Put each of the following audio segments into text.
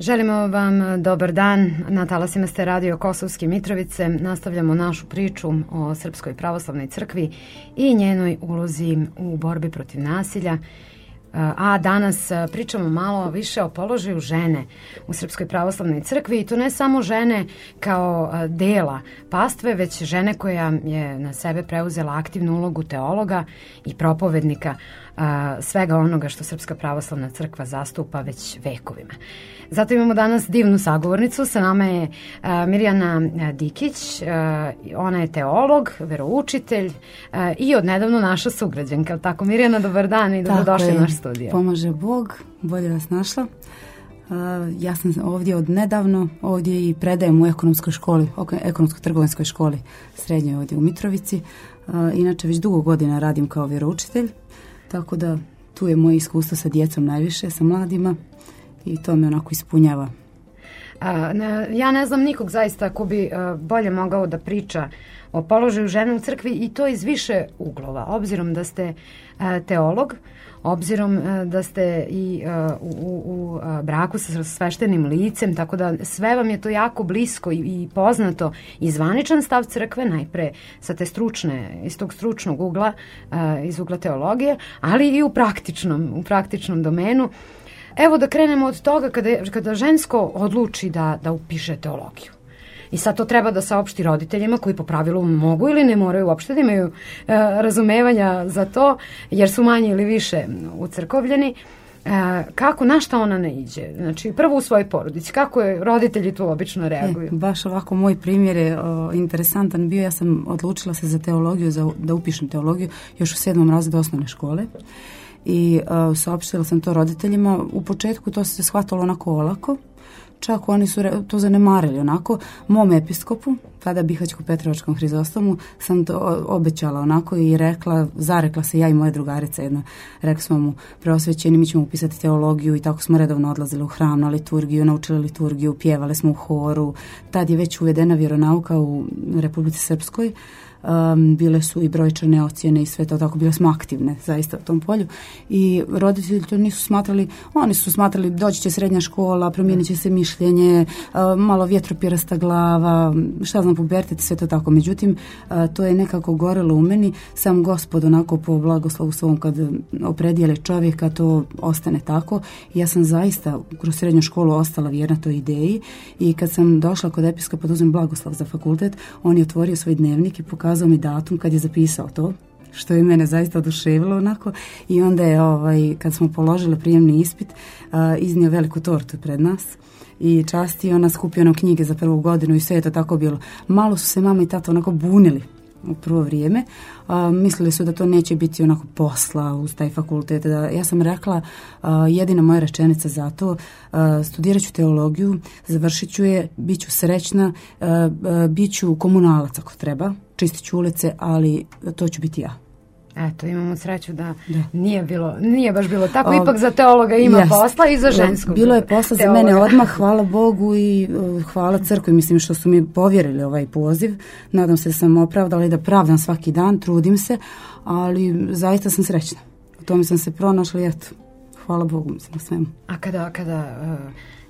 Želimo vam dobar dan. Na talasima ste radio Kosovske Mitrovice. Nastavljamo našu priču o Srpskoj pravoslavnoj crkvi i njenoj ulozi u borbi protiv nasilja. A danas pričamo malo više o položaju žene u Srpskoj pravoslavnoj crkvi i to ne samo žene kao dela pastve, već žene koja je na sebe preuzela aktivnu ulogu teologa i propovednika svega onoga što Srpska pravoslavna crkva zastupa već vekovima. Zato imamo danas divnu sagovornicu. Sa nama je Mirjana Dikić. Ona je teolog, veroučitelj i odnedavno naša sugrađanka. Tako, Mirjana, dobar dan i dobrodošli u naš studio. Pomaže Bog, bolje vas našla. Ja sam ovdje odnedavno, ovdje i predajem u ekonomskoj školi, ekonomsko-trgovinskoj školi srednjoj ovdje u Mitrovici. Inače, već dugo godina radim kao vjeroučitelj, tako da tu je moje iskustvo sa djecom najviše, sa mladima i to me onako ispunjava. Ja ne znam nikog zaista ko bi bolje mogao da priča o položaju žene u crkvi i to iz više uglova. Obzirom da ste teolog, obzirom da ste i u braku sa sveštenim licem, tako da sve vam je to jako blisko i poznato i zvaničan stav crkve, najpre sa te stručne, iz tog stručnog ugla, iz ugla teologije, ali i u praktičnom domenu. Evo da krenemo od toga kada žensko odluči da upiše teologiju. I sad to treba da saopšti roditeljima koji po pravilu mogu ili ne moraju uopšte da imaju razumevanja za to, jer su manje ili više ucrkovljeni. Na šta ona ne iđe? Znači, prvo u svojoj porodici. Kako je roditelji tu obično reaguju? Baš ovako, moj primjer je interesantan bio. Ja sam odlučila se za teologiju, da upišem teologiju još u 7. razredu osnovne škole. I saopštila sam to roditeljima. U početku to se shvatilo onako olako. Čak oni su to zanemarili onako. Mom episkopu, tada Bihaćko-Petrovačkom Hrizostomu, sam to obećala onako i zarekla se ja i moja drugarica jedna. Rekli smo mu, preosvećeni, mi ćemo upisati teologiju i tako smo redovno odlazili u hram na liturgiju, naučili liturgiju, pjevali smo u horu. Tad je već uvedena vjeronauka u Republici Srpskoj. Bile su i brojčane ocjene i sve to, tako bile smo aktivne zaista u tom polju i roditelji to nisu smatrali, oni su smatrali doći će srednja škola, promijenit će se mišljenje, malo vjetropirasta glava, šta znam, pubertet, sve to tako. Međutim, to je nekako gorelo u meni, sam Gospod onako po blagoslovu svom kad opredijeli čovjeka, to ostane tako. I ja sam zaista kroz srednju školu ostala vjerna toj ideji i kad sam došla kod episkopa da uzmem blagoslov za fakultet, on je otvorio svoj dnevnik i pokazao mi datum kad je zapisao to, što je mene zaista oduševilo onako. I onda je, kad smo položili prijemni ispit, iznio veliku tortu pred nas i častio nas, skupio nam knjige za prvu godinu i sve je to tako bilo. Malo su se mama i tata onako bunili u prvo vrijeme. Mislili su da to neće biti onako posla uz taj fakultet. Ja sam rekla, jedina moja rečenica za to, studirat ću teologiju, završit ću je, bit ću srećna, bit ću komunalac ako treba, čistit ću ulice, ali to ću biti ja. Eto, imamo sreću da nije baš bilo tako, ipak za teologa ima posla i za ženskog. Bilo je posla za mene odmah, hvala Bogu i hvala crkvi, mislim što su mi povjerili ovaj poziv. Nadam se da sam opravdala i da pravdam svaki dan, trudim se, ali zaista sam srećna. U tome sam se pronašla i eto, hvala Bogu mislim na svemu. A kada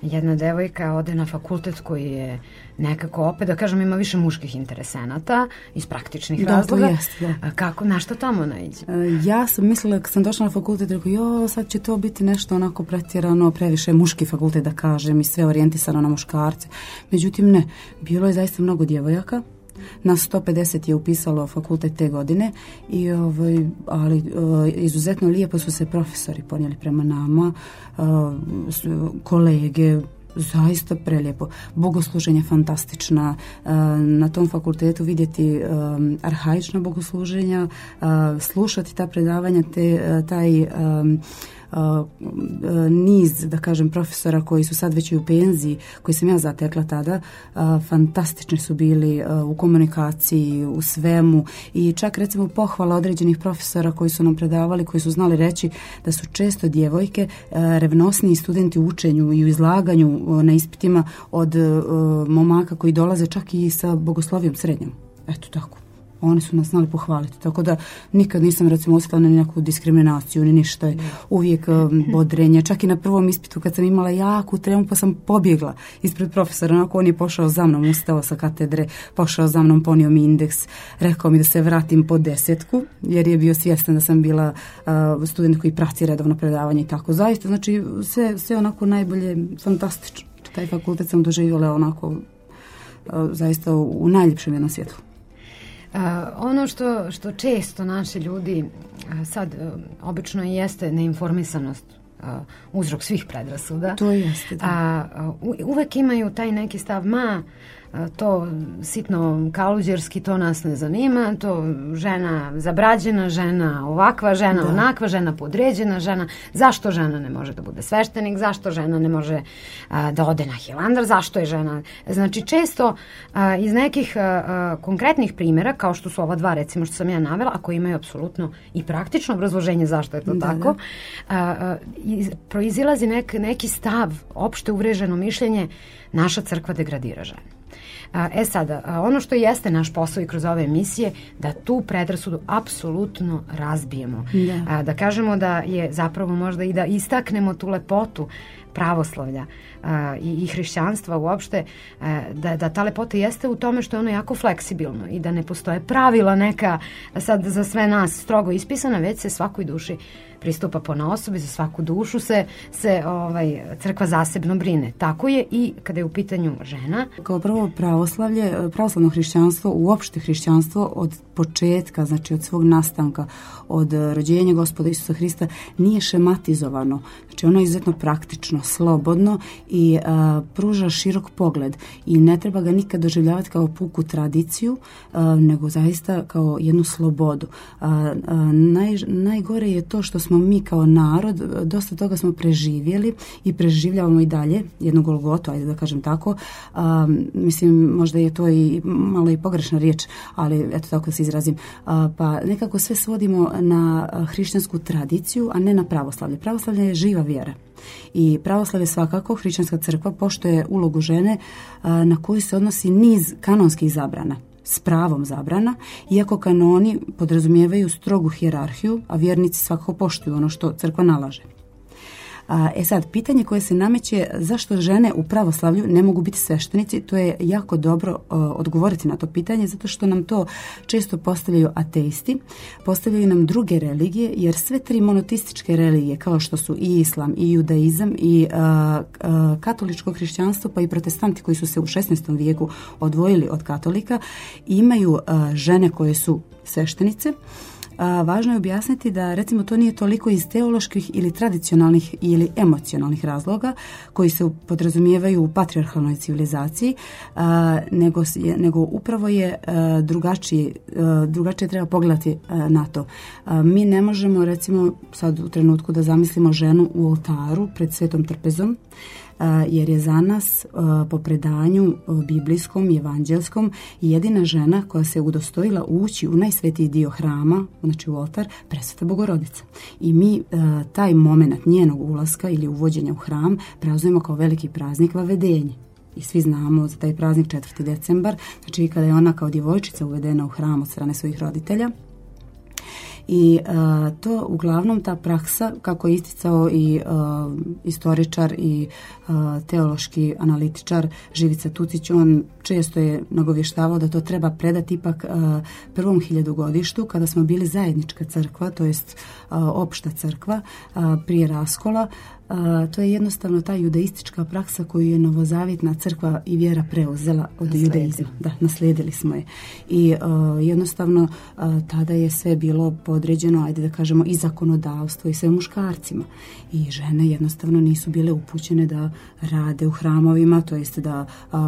jedna devojka ode na fakultet koji je nekako opet, da kažem, ima više muških interesenata iz praktičnih razloga. Kako, na što tamo naiđe? Ja sam mislila, kad sam došla na fakultet, rekao, sad će to biti nešto onako pretjerano, previše muški fakultet da kažem i sve orijentisano na muškarce. Međutim, ne, bilo je zaista mnogo djevojaka. Nas 150 je upisalo fakultet te godine, ali izuzetno lijepo su se profesori ponijeli prema nama, kolege, zaista prelijepo. Bogosluženje fantastična. Na tom fakultetu vidjeti arhaična bogosluženja, slušati ta predavanja, taj niz, da kažem, profesora koji su sad već i u penziji, koji sam ja zatekla tada, fantastični su bili u komunikaciji, u svemu i čak recimo pohvala određenih profesora koji su nam predavali, koji su znali reći da su često djevojke revnosniji studenti u učenju i u izlaganju na ispitima od momaka koji dolaze čak i sa bogoslovijom srednjom. Eto tako. oni su nas znali pohvaliti. Tako da nikad nisam recimo osjetila na neku diskriminaciju ni ništa. Uvijek bodrenje. Čak i na prvom ispitu kad sam imala jaku tremu pa sam pobjegla ispred profesora. Onako on je pošao za mnom, ustao sa katedre, pošao za mnom, ponio mi indeks, rekao mi da se vratim po 10 jer je bio svjestan da sam bila student koji prati redovno predavanje i tako. Zaista, znači sve onako najbolje, fantastično. Taj fakultet sam doživjela onako zaista u najljepšem jednom svjetlu. Ono što često naši ljudi sad obično jeste neinformisanost uzrok svih predrasuda. To jeste, da. Uvek imaju taj neki stav, to sitno kaluđerski, to nas ne zanima, to žena zabrađena, žena ovakva, žena onakva, žena podređena, žena, zašto žena ne može da bude sveštenik, zašto žena ne može da ode na Hilandar, zašto je žena, znači često iz nekih konkretnih primjera, kao što su ova dva recimo što sam ja navela, a koji imaju apsolutno i praktično obrazloženje zašto je to tako, proizilazi neki stav, opšte uvreženo mišljenje, naša crkva degradira žene. Sada, ono što jeste naš posao i kroz ove emisije, da tu predrasudu apsolutno razbijemo. Da kažemo da je zapravo možda i da istaknemo tu lepotu pravoslavlja i hrišćanstva uopšte, da ta lepota jeste u tome što je ono jako fleksibilno i da ne postoje pravila neka sad za sve nas strogo ispisana, već se svakoj duši pristupa ponaosob i za svaku dušu se crkva zasebno brine. Tako je i kada je u pitanju žena. Kao prvo pravoslavno hrišćanstvo, uopšte hrišćanstvo od početka, znači od svog nastanka, od rođenja Gospoda Isusa Hrista, nije šematizovano. Znači ono je izuzetno praktično, slobodno i pruža širok pogled i ne treba ga nikad doživljavati kao puku tradiciju, nego zaista kao jednu slobodu. Najgore je to što smo mi kao narod, dosta toga smo preživjeli i preživljavamo i dalje, jednu golgotu, ajde da kažem tako. Mislim, možda je to i malo i pogrešna riječ, ali eto tako se izrazim. Pa nekako sve svodimo na hrišćansku tradiciju, a ne na pravoslavlje. Pravoslavlje je živa vjera. I pravoslavlje svakako, hrišćanska crkva poštuje ulogu žene na koju se odnosi niz kanonskih zabrana, s pravom zabrana, iako kanoni podrazumijevaju strogu hijerarhiju, a vjernici svakako poštuju ono što crkva nalaže. Sad, pitanje koje se nameće, zašto žene u pravoslavlju ne mogu biti sveštenici, to je jako dobro odgovoriti na to pitanje, zato što nam to često postavljaju ateisti, postavljaju nam druge religije, jer sve tri monoteističke religije, kao što su i islam, i judaizam, i katoličko hrišćanstvo, pa i protestanti koji su se u 16. vijeku odvojili od katolika, imaju žene koje su sveštenice. Važno je objasniti da recimo to nije toliko iz teoloških ili tradicionalnih ili emocionalnih razloga koji se podrazumijevaju u patrijarhalnoj civilizaciji, nego upravo je drugačije treba pogledati na to. Mi ne možemo recimo sad u trenutku da zamislimo ženu u oltaru pred svetom trpezom, jer je za nas po predanju biblijskom i evanđelskom jedina žena koja se udostojila ući u najsvetiji dio hrama, znači u oltar, Presveta Bogorodica. I mi taj moment njenog ulaska ili uvođenja u hram preuzmemo kao veliki praznik vavedenje. I svi znamo za taj praznik 4. decembar, znači kada je ona kao djevojčica uvedena u hram od strane svojih roditelja. I to uglavnom ta praksa, kako je isticao i istoričar i teološki analitičar Živica Tucić, on često je nagovještavao da to treba predati ipak prvom hiljadugodištu kada smo bili zajednička crkva, to jest opšta crkva prije raskola. To je jednostavno ta judaistička praksa koju je novozavjetna crkva i vjera preuzela od judaizma. Da, naslijedili smo je. I jednostavno tada je sve bilo podređeno, ajde da kažemo, i zakonodavstvo i sve muškarcima. I žene jednostavno nisu bile upućene da rade u hramovima, to jest da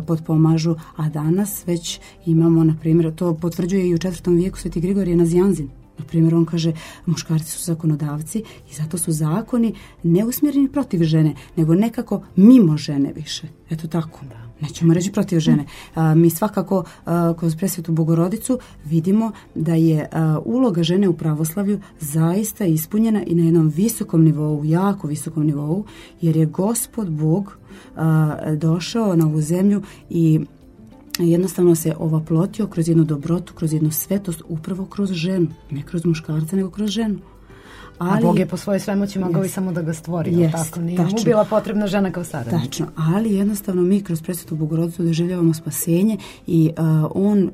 potpomažu, a danas već imamo, na primjer, to potvrđuje i u 4. vijeku Sveti Grigorije Nazianzin. Na primjer, on kaže, muškarci su zakonodavci i zato su zakoni ne usmjereni protiv žene, nego nekako mimo žene više. Eto tako. Nećemo reći protiv žene. Mi svakako kroz Presvetu Bogorodicu vidimo da je uloga žene u pravoslavlju zaista ispunjena i na jednom visokom nivou, jako visokom nivou, jer je Gospod Bog došao na ovu zemlju i jednostavno se ovaplotio kroz jednu dobrotu, kroz jednu svetost, upravo kroz ženu. Ne kroz muškarca, nego kroz ženu. A Bog je po svojoj svemoći mogao i samo da ga stvori, tako? Nije mu bila potrebna žena kao saradnica. Tačno, ali jednostavno mi kroz Presvetu Bogorodicu doživljavamo spasenje i on,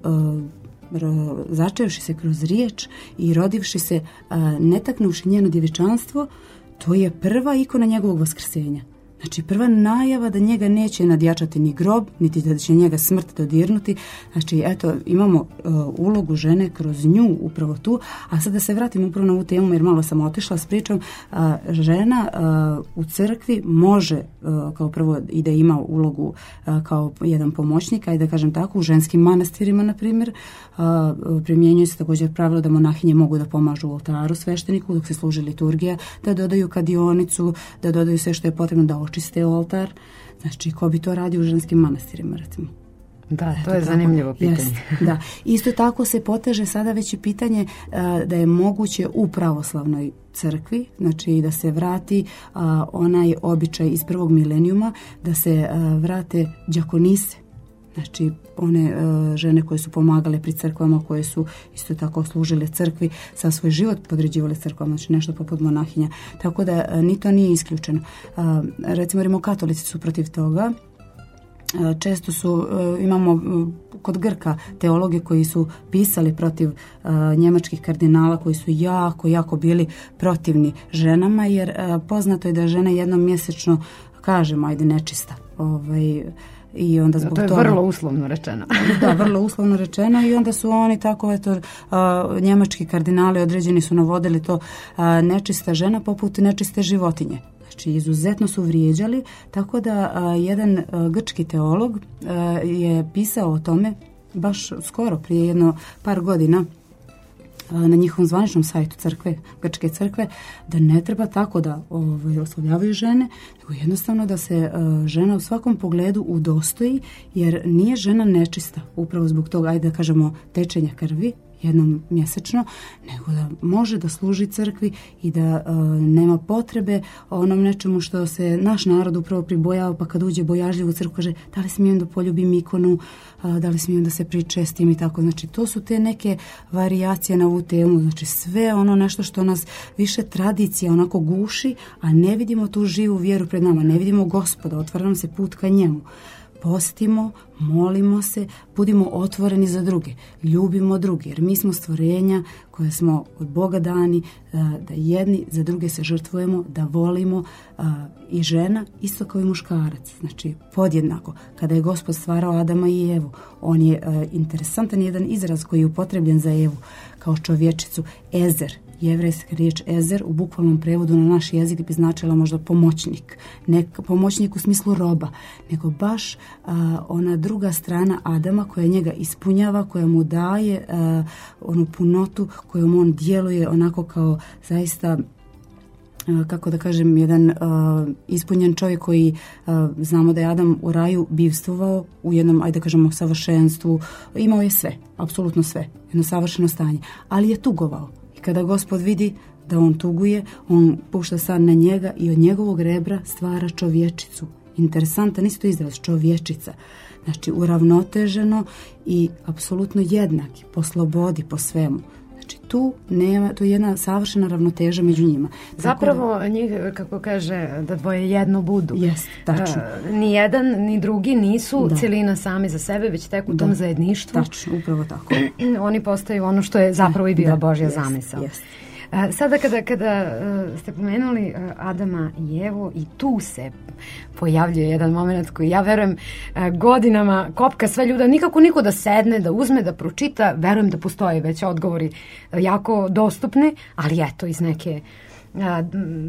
začevši se kroz riječ i rodivši se, netaknuvši njeno djevičanstvo, to je prva ikona njegovog vaskrsenja. Znači, prva najava da njega neće nadjačati ni grob, niti da će njega smrt dodirnuti. Znači, eto, imamo ulogu žene kroz nju upravo tu. A sad da se vratim upravo na ovu temu, jer malo sam otišla s pričom. Žena u crkvi može, kao prvo, i da ima ulogu kao jedan pomoćnik, i da kažem tako, u ženskim manastirima, na primjer, primjenjuje se također pravilo da monahinje mogu da pomažu u oltaru svešteniku dok se služi liturgija, da dodaju kadionicu, da dodaju sve što je potrebno da očiste oltar. Znači, ko bi to radio u ženskim manastirima, recimo? Da, to je zanimljivo pitanje. Yes, da. Isto tako se poteže sada već i pitanje da je moguće u pravoslavnoj crkvi, znači da se vrati onaj običaj iz prvog milenijuma, da se vrate đakonise. Znači, one žene koje su pomagale pri crkvama, koje su isto tako služile crkvi, sa svoj život podređivale crkvama, znači nešto poput monahinja. Tako da ni to nije isključeno. Recimo, rimokatolici su protiv toga. Često imamo kod Grka teologe koji su pisali protiv njemačkih kardinala, koji su jako bili protivni ženama, jer poznato je da žena jednom mjesečno, kažemo, ajde, nečista. I onda zbog to je vrlo uslovno rečeno. Da, vrlo uslovno rečeno, i onda su oni tako, eto, njemački kardinali određeni su navodili to nečista žena poput nečiste životinje. Znači, izuzetno su vrijeđali, tako da jedan grčki teolog je pisao o tome baš skoro, prije jedno par godina, na njihovom zvaničnom sajtu crkve, grčke crkve, da ne treba tako da oslovljavaju žene, nego jednostavno da se žena u svakom pogledu udostoji, jer nije žena nečista upravo zbog toga, ajde da kažemo, tečenja krvi jednom mjesečno, nego da može da služi crkvi i da nema potrebe onom nečemu što se naš narod upravo pribojava, pa kad uđe bojažljivo u crkvu kaže da li smijem da poljubim ikonu, da li smijem da se pričestim i tako. Znači, to su te neke varijacije na ovu temu, znači sve ono nešto što nas više tradicija onako guši, a ne vidimo tu živu vjeru pred nama, ne vidimo Gospoda, otvara nam se put ka njemu. Postimo, molimo se, budimo otvoreni za druge, ljubimo druge, jer mi smo stvorenja koje smo od Boga dani, da jedni za druge se žrtvujemo, da volimo, i žena isto kao i muškarac, znači podjednako. Kada je Gospod stvarao Adama i Evu, on je interesantan jedan izraz koji je upotrebljen za Evu kao čovječicu, ezer. Jevrejska riječ ezer u bukvalnom prevodu na naš jezik bi značila možda pomoćnik. Ne pomoćnik u smislu roba, nego baš ona druga strana Adama koja njega ispunjava, koja mu daje onu punotu kojom on djeluje onako kao zaista, kako da kažem, jedan ispunjen čovjek koji znamo da je Adam u raju bivstvovao u jednom, ajde da kažemo, savršenstvu. Imao je sve, apsolutno sve, jedno savršeno stanje, ali je tugovao. Kada Gospod vidi da on tuguje, on pušta san na njega i od njegovog rebra stvara čovječicu. Interesantan isto izraz, čovječica. Znači, uravnoteženo i apsolutno jednaki, po slobodi, po svemu. Znači, tu je jedna savršena ravnoteža među njima. Zapravo, njih, kako kaže, da dvoje jedno budu. Jest, tačno. Ni jedan, ni drugi nisu cjelina sami za sebe, već tek u tom zajedništvu. Tačno, upravo tako. Oni postaju ono što je zapravo i bila Božja zamisao. Jest. Sada kada ste pomenuli Adama i Evu, i tu se pojavljuje jedan moment koji, ja verujem, godinama kopka sve ljude, nikako niko da sedne, da uzme, da pročita. Verujem da postoje već odgovori jako dostupni, ali eto, iz neke,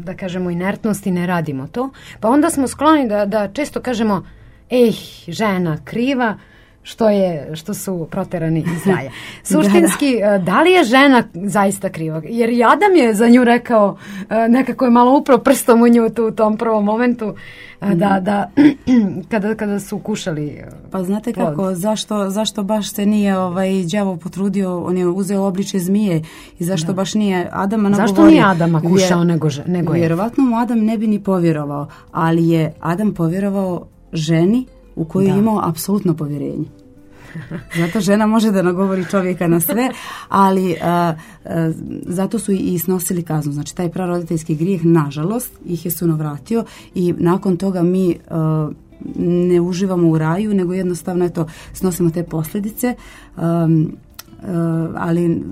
da kažemo, inertnosti ne radimo to. Pa onda smo skloni da često kažemo, žena kriva, što su proterani iz raja. Suštinski, da li je žena zaista kriva? Jer i Adam je za nju rekao, nekako je malo upro prstom u nju u tom prvom momentu, da kada su kušali Pa znate kako, zašto baš se nije đavo potrudio, on je uzeo obličje zmije, i zašto baš nije Adama nagovorio? Zašto nije Adama kušao nego je? Vjerovatno mu Adam ne bi ni povjerovao, ali je Adam povjerovao ženi u koju je imao apsolutno povjerenje. Zato žena može da nagovori čovjeka na sve, ali zato su i snosili kaznu. Znači, taj praroditeljski grijeh, nažalost, ih je suno vratio i nakon toga mi ne uživamo u raju, nego jednostavno snosimo te posljedice. Ali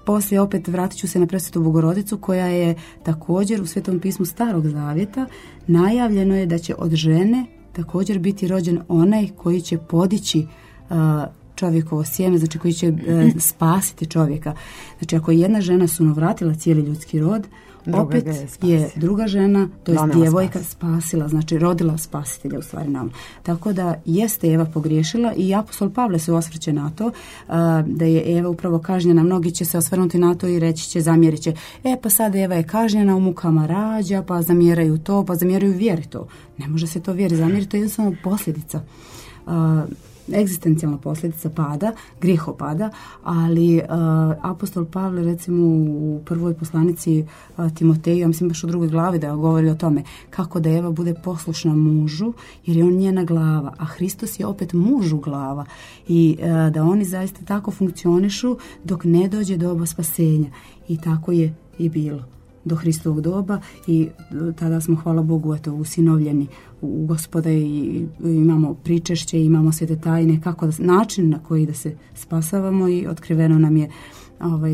poslije opet vratit ću se na Presvetu Bogorodicu, koja je također u Svetom pismu Starog Zavjeta najavljeno je da će od žene također biti rođen onaj koji će podići čovjekovo sjeme, znači koji će spasiti čovjeka. Znači, ako je jedna žena sunovratila cijeli ljudski rod, opet je druga žena, to je djevojka, spasila, znači rodila spasitelja u stvari nam. Tako da jeste Eva pogriješila i apostol Pavle se osvrće na to da je Eva upravo kažnjena. Mnogi će se osvrnuti na to i reći će, zamjerit će, pa sad Eva je kažnjena, u mukama rađa, pa zamjeraju to, pa zamjeraju vjeri to. Ne može se to vjeri zamjeriti, to je jednostavno posljedica. Egzistencijalna posljedica pada, grijehopada, ali apostol Pavle recimo u prvoj poslanici Timoteju, ja mislim baš u 2. glavi da govori o tome kako da Eva bude poslušna mužu, jer je on njena glava, a Hristos je opet mužu glava i da oni zaista tako funkcionišu dok ne dođe doba spasenja. I tako je i bilo do Hristovog doba i tada smo, hvala Bogu, usinovljeni u Gospoda i imamo pričešće, imamo svete tajne, način na koji da se spasavamo i otkriveno nam je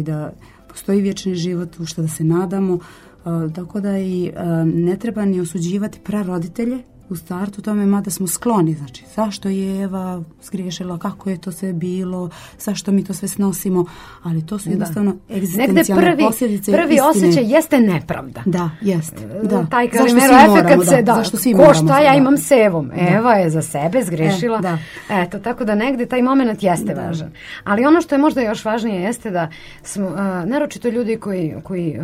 da postoji vječni život, u što da se nadamo, tako da i ne treba ni osuđivati praroditelje u startu tome, mada smo skloni, znači zašto je Eva zgriješila, kako je to sve bilo, zašto mi to sve snosimo, ali to su jednostavno egzistencijalne posljedice istine. Prvi osjećaj jeste nepravda. Da, jeste. Da. Taj Kalimero efekat se ko šta ja imam s Evom. Eva je za sebe zgriješila. Eto, tako da negdje taj moment jeste važan. Ali ono što je možda još važnije jeste da smo, naročito ljudi koji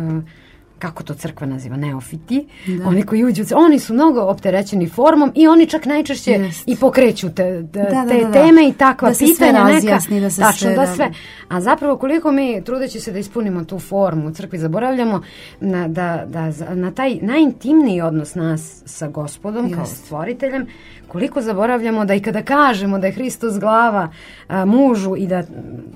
kako to crkva naziva, neofiti, oni koji uđu, oni su mnogo opterećeni formom i oni čak najčešće i pokreću te teme i takva pitanja neka. Da sve. A zapravo koliko mi, trudeći se da ispunimo tu formu u crkvi, zaboravljamo na taj najintimniji odnos nas sa Gospodom kao stvoriteljem, koliko zaboravljamo da i kada kažemo da je Hristos glava mužu i da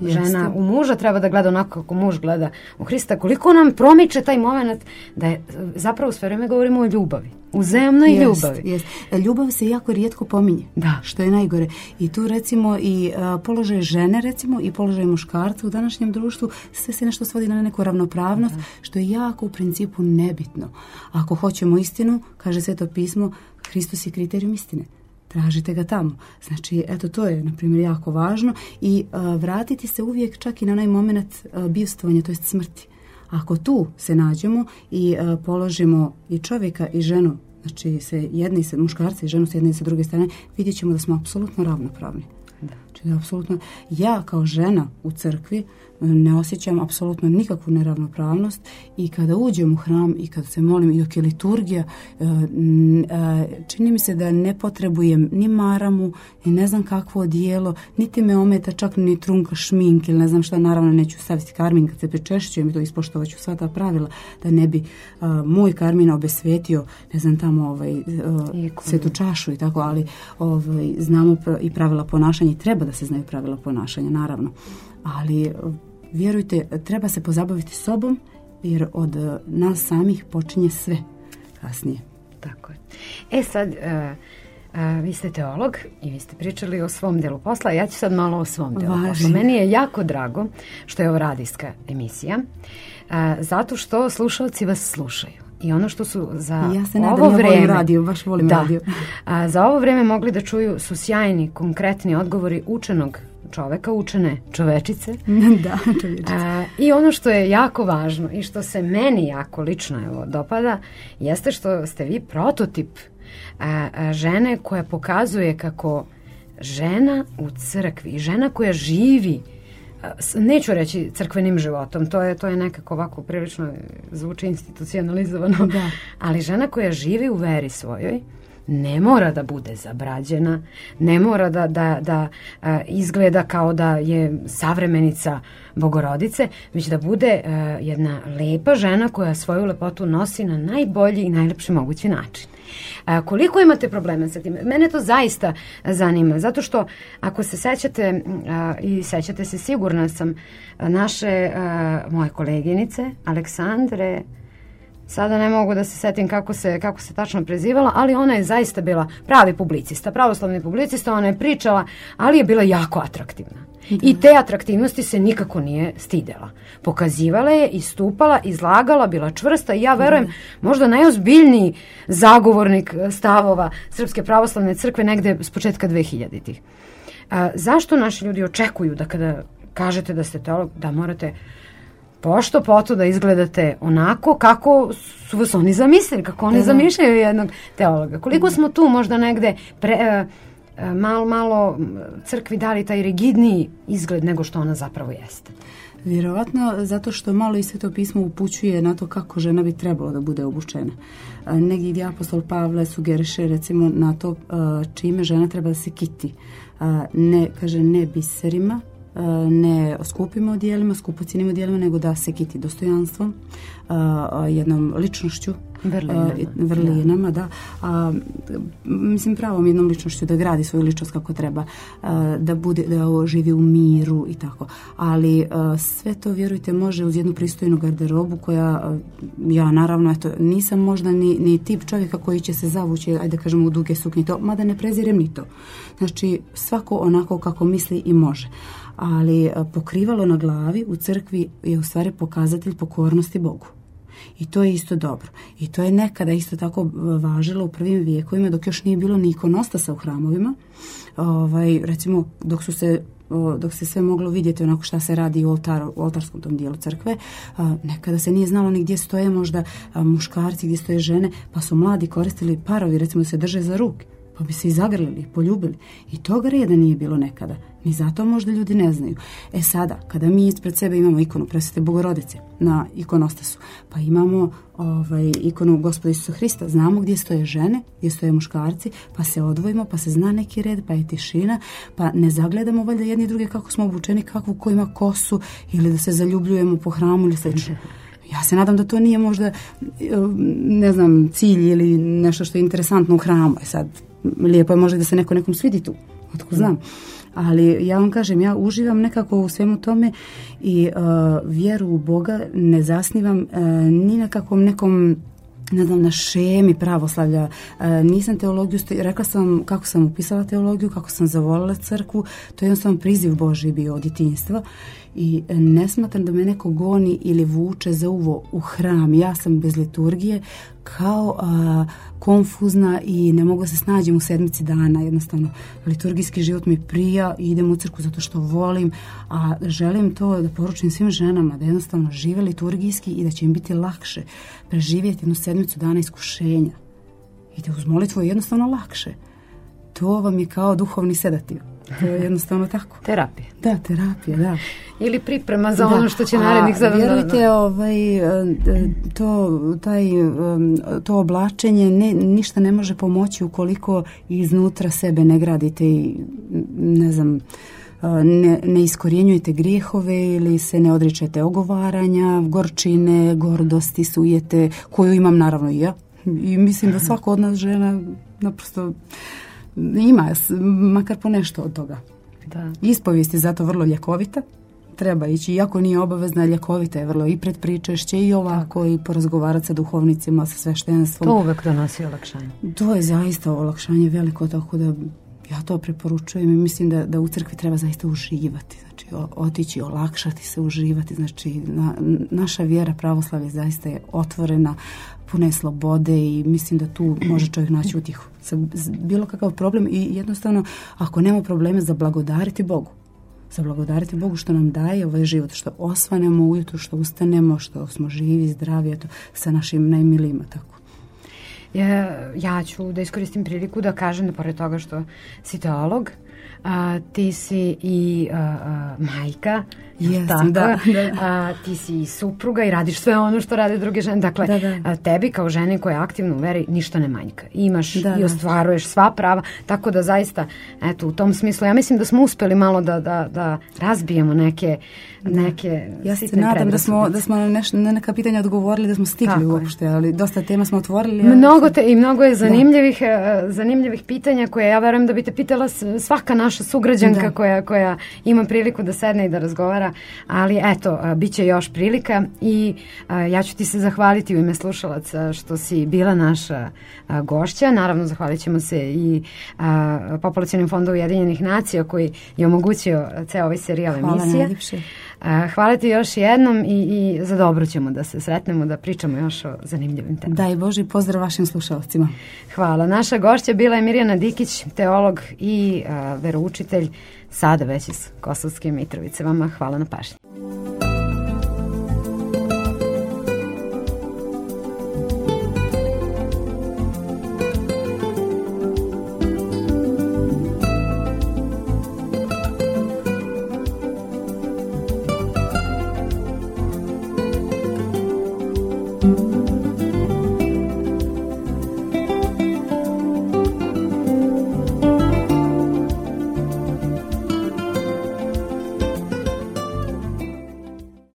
žena u muža treba da gleda onako kako muž gleda u Hrista, koliko nam promiče taj moment da je zapravo sve vreme govorimo o ljubavi, uzajamnoj ljubavi. Ljubav se jako rijetko pominje, što je najgore. I tu recimo i položaj žene recimo i položaj muškarca u današnjem društvu, sve se nešto svodi na neku ravnopravnost, što je jako u principu nebitno. Ako hoćemo istinu, kaže Sveto pismo, Hristos je kriterijum istine. Tražite ga tamo. Znači, to je, na primjer, jako važno i vratiti se uvijek čak i na onaj moment bivstvovanja, to jest smrti. Ako tu se nađemo i položimo i čovjeka i ženu, znači muškarca i ženu s jedne i sa druge strane, vidjet ćemo da smo apsolutno ravnopravni. Znači, apsolutno, ja kao žena u crkvi ne osjećam apsolutno nikakvu neravnopravnost i kada uđem u hram i kada se molim i dok je liturgija, čini mi se da ne potrebujem ni maramu, ni ne znam kakvo odijelo, niti me ometa čak ni trunka šminke ili ne znam šta, naravno neću staviti karmin kad se pričešćujem i to ispoštovat ću sva ta pravila da ne bi moj karmin obesvetio, ne znam tamo svetu čašu i tako, ali znamo i pravila ponašanja i treba da se znaju pravila ponašanja, naravno. Ali vjerujte, treba se pozabaviti sobom jer od nas samih počinje sve kasnije. Tako je. Sad, vi ste teolog i vi ste pričali o svom delu posla, ja ću sad malo o svom delu posla. Meni je jako drago što je ovo radijska emisija, zato što slušalci vas slušaju. I ono što su za ovo vreme radio, baš volim radio. Za ovo vreme mogli da čuju su sjajni, konkretni odgovori učenog čoveka, učene čovečice. I ono što je jako važno i što se meni jako lično dopada jeste što ste vi prototip žene koja pokazuje kako žena u crkvi, žena koja živi, neću reći crkvenim životom, to je nekako ovako prilično zvuči institucionalizovano, ali žena koja živi u veri svojoj ne mora da bude zabrađena, ne mora da izgleda kao da je savremenica Bogorodice, već da bude jedna lepa žena koja svoju lepotu nosi na najbolji i najlepši mogući način. Koliko imate problema sa tim? Mene to zaista zanima, zato što ako se sećate i sećate se, sigurna sam, moje koleginice Aleksandre, sada ne mogu da se setim kako se tačno prezivala, ali ona je zaista bila pravi publicista, pravoslavni publicista, ona je pričala, ali je bila jako atraktivna. I te atraktivnosti se nikako nije stidela. Pokazivala je, istupala, izlagala, bila čvrsta i ja verujem možda najozbiljniji zagovornik stavova Srpske pravoslavne crkve negde s početka 2000-ih. Zašto naši ljudi očekuju da kada kažete da ste teolog, da morate pošto poto da izgledate onako kako su vas oni zamislili, kako oni zamišljaju jednog teologa? Koliko smo tu možda negde malo crkvi dali taj rigidniji izgled nego što ona zapravo jeste? Vjerovatno zato što malo i Sveto pismo upućuje na to kako žena bi trebalo da bude obučena. Negdje apostol Pavle sugeriše recimo na to čime žena treba da se kiti. Ne biserima, ne skupim odjelima, skupocijenim odjelima, nego da se kiti dostojanstvom, jednom ličnošću, vrlinama, da. Mislim, pravom jednom ličnošću da gradi svoju ličnost kako treba, da živi u miru i tako. Ali sve to, vjerujte, može uz jednu pristojnu garderobu koja, ja naravno, nisam možda ni tip čovjeka koji će se zavući, ajde kažemo, u duge suknje, mada ne prezirem ni to. Znači, svako onako kako misli i može. Ali pokrivalo na glavi u crkvi je u stvari pokazatelj pokornosti Bogu. I to je isto dobro. I to je nekada isto tako važilo u prvim vijekovima dok još nije bilo ni ikonostasa u hramovima. Recimo dok se sve moglo vidjeti onako šta se radi u oltarskom tom dijelu crkve, nekada se nije znalo ni gdje stoje možda muškarci, gdje stoje žene, pa su mladi koristili parovi, recimo da se drže za ruke, pa bi se i zagrlili, poljubili. I toga reda nije bilo nekada. Ni zato možda ljudi ne znaju. Sada, kada mi ispred sebe imamo ikonu Presvete Bogorodice na ikonostasu, pa imamo ikonu Gospoda Isusa Hrista, znamo gdje stoje žene, gdje stoje muškarci, pa se odvojimo, pa se zna neki red, pa je tišina, pa ne zagledamo valjda jedni druge kako smo obučeni, kakvu ko ima kosu, ili da se zaljubljujemo po hramu ili slično. Ja se nadam da to nije možda, ne znam, cilj ili nešto što je interesantno u hramu. Sad, lijepo je možda da se nekom svidi tu, otko znam. Ali ja vam kažem, ja uživam nekako u svemu tome i vjeru u Boga ne zasnivam ni na kakvom nekom, ne znam, na šemi pravoslavlja. Nisam teologiju, rekla sam kako sam upisala teologiju, kako sam zavolila crkvu, to je jednostavno priziv Božji bio od djetinjstva i ne smatram da me neko goni ili vuče za uvo u hram. Ja sam bez liturgije kao konfuzna i ne mogu se snađem u sedmici dana. Jednostavno, liturgijski život mi prija i idem u crkvu zato što volim, a želim to da poručim svim ženama, da jednostavno žive liturgijski i da će im biti lakše preživjeti jednu sedmicu dana iskušenja. I da uz molitvu je jednostavno lakše. To vam je kao duhovni sedativ. To je jednostavno tako. Terapija. Da, terapija, da. Ili priprema za ono što će narednih 7 dana. Vjerujte, to oblačenje ništa ne može pomoći ukoliko iznutra sebe ne gradite i ne znam, ne iskorjenjujete grijehove ili se ne odričete ogovaranja, gorčine, gordosti, sujete, koju imam naravno i ja. I mislim da svako od nas žena naprosto ima, makar po nešto od toga. Da. Ispovijest je zato vrlo ljekovita. Treba ići, iako nije obavezna, ljekovita je vrlo i pred pričešće i ovako i porazgovarati sa duhovnicima, sa sveštenstvom. To uvek donosi olakšanje. To je zaista olakšanje veliko, tako da ja to preporučujem i mislim da u crkvi treba zaista uživati. Znači, otići, olakšati se, uživati. Znači, naša vjera pravoslavlje zaista je otvorena, puna je slobode i mislim da tu može čovjek naći utjehu. Bilo kakav problem i jednostavno, ako nema probleme, zablagodariti Bogu. Zablagodariti Bogu što nam daje ovaj život, što osvanemo ujutro, što ustanemo, što smo živi, zdravi, eto, sa našim najmilijima, tako. Ja ću da iskoristim priliku da kažem da pored toga što si teolog, ti si i majka, Jesam, da. ti si i supruga i radiš sve ono što rade druge žene. Dakle, tebi kao ženi koja je aktivna u veri ništa ne manjka. Imaš i ostvaruješ sva prava, tako da zaista, eto, u tom smislu, ja mislim da smo uspeli malo da razbijemo neke ja se nadam da smo na neka pitanja odgovorili, da smo stigli uopšte, ali dosta tema smo otvorili. Mnogo je zanimljivih pitanja koje ja verujem da bi te pitala svaka naša sugrađanka koja ima priliku da sedne i da razgovara, ali eto, bit će još prilika i ja ću ti se zahvaliti u ime slušalaca što si bila naša gošća. Naravno, zahvalit ćemo se i Populacionim fondom Ujedinjenih nacija koji je omogućio ceo ovaj serijal emisija. Hvala najljepše. Hvala ti još jednom i za dobro ćemo da se sretnemo, da pričamo još o zanimljivim temama. Daj Bože, pozdrav vašim slušalcima. Hvala. Naša gošća bila je Mirjana Dikić, teolog i veroučitelj, sada već iz Kosovske Mitrovice. Vama hvala na pažnji.